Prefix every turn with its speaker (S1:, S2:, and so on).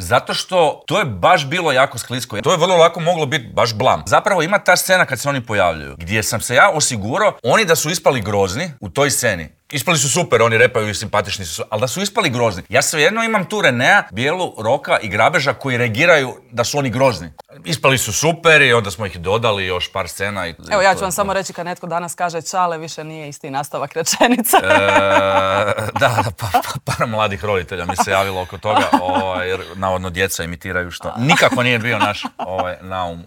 S1: Zato što to je baš bilo jako sklisko. To je vrlo lako moglo biti baš blam. Zapravo ima ta scena kad se oni pojavljuju, gdje sam se ja osigurao, oni da su ispali grozni u toj sceni. Ispali su super, oni repaju i simpatični su, ali da su ispali grozni. Ja svejedno imam tu Renea, Bijelu, Roka i Grabeža koji reagiraju da su oni grozni. Ispali su super i onda smo ih dodali još par scena.
S2: Evo, ja ću vam samo reći kad netko danas kaže čale, više nije isti nastavak rečenice.
S1: Par mladih roditelja mi se javilo oko toga, jer navodno djeca imitiraju što nikako nije bio naš naum.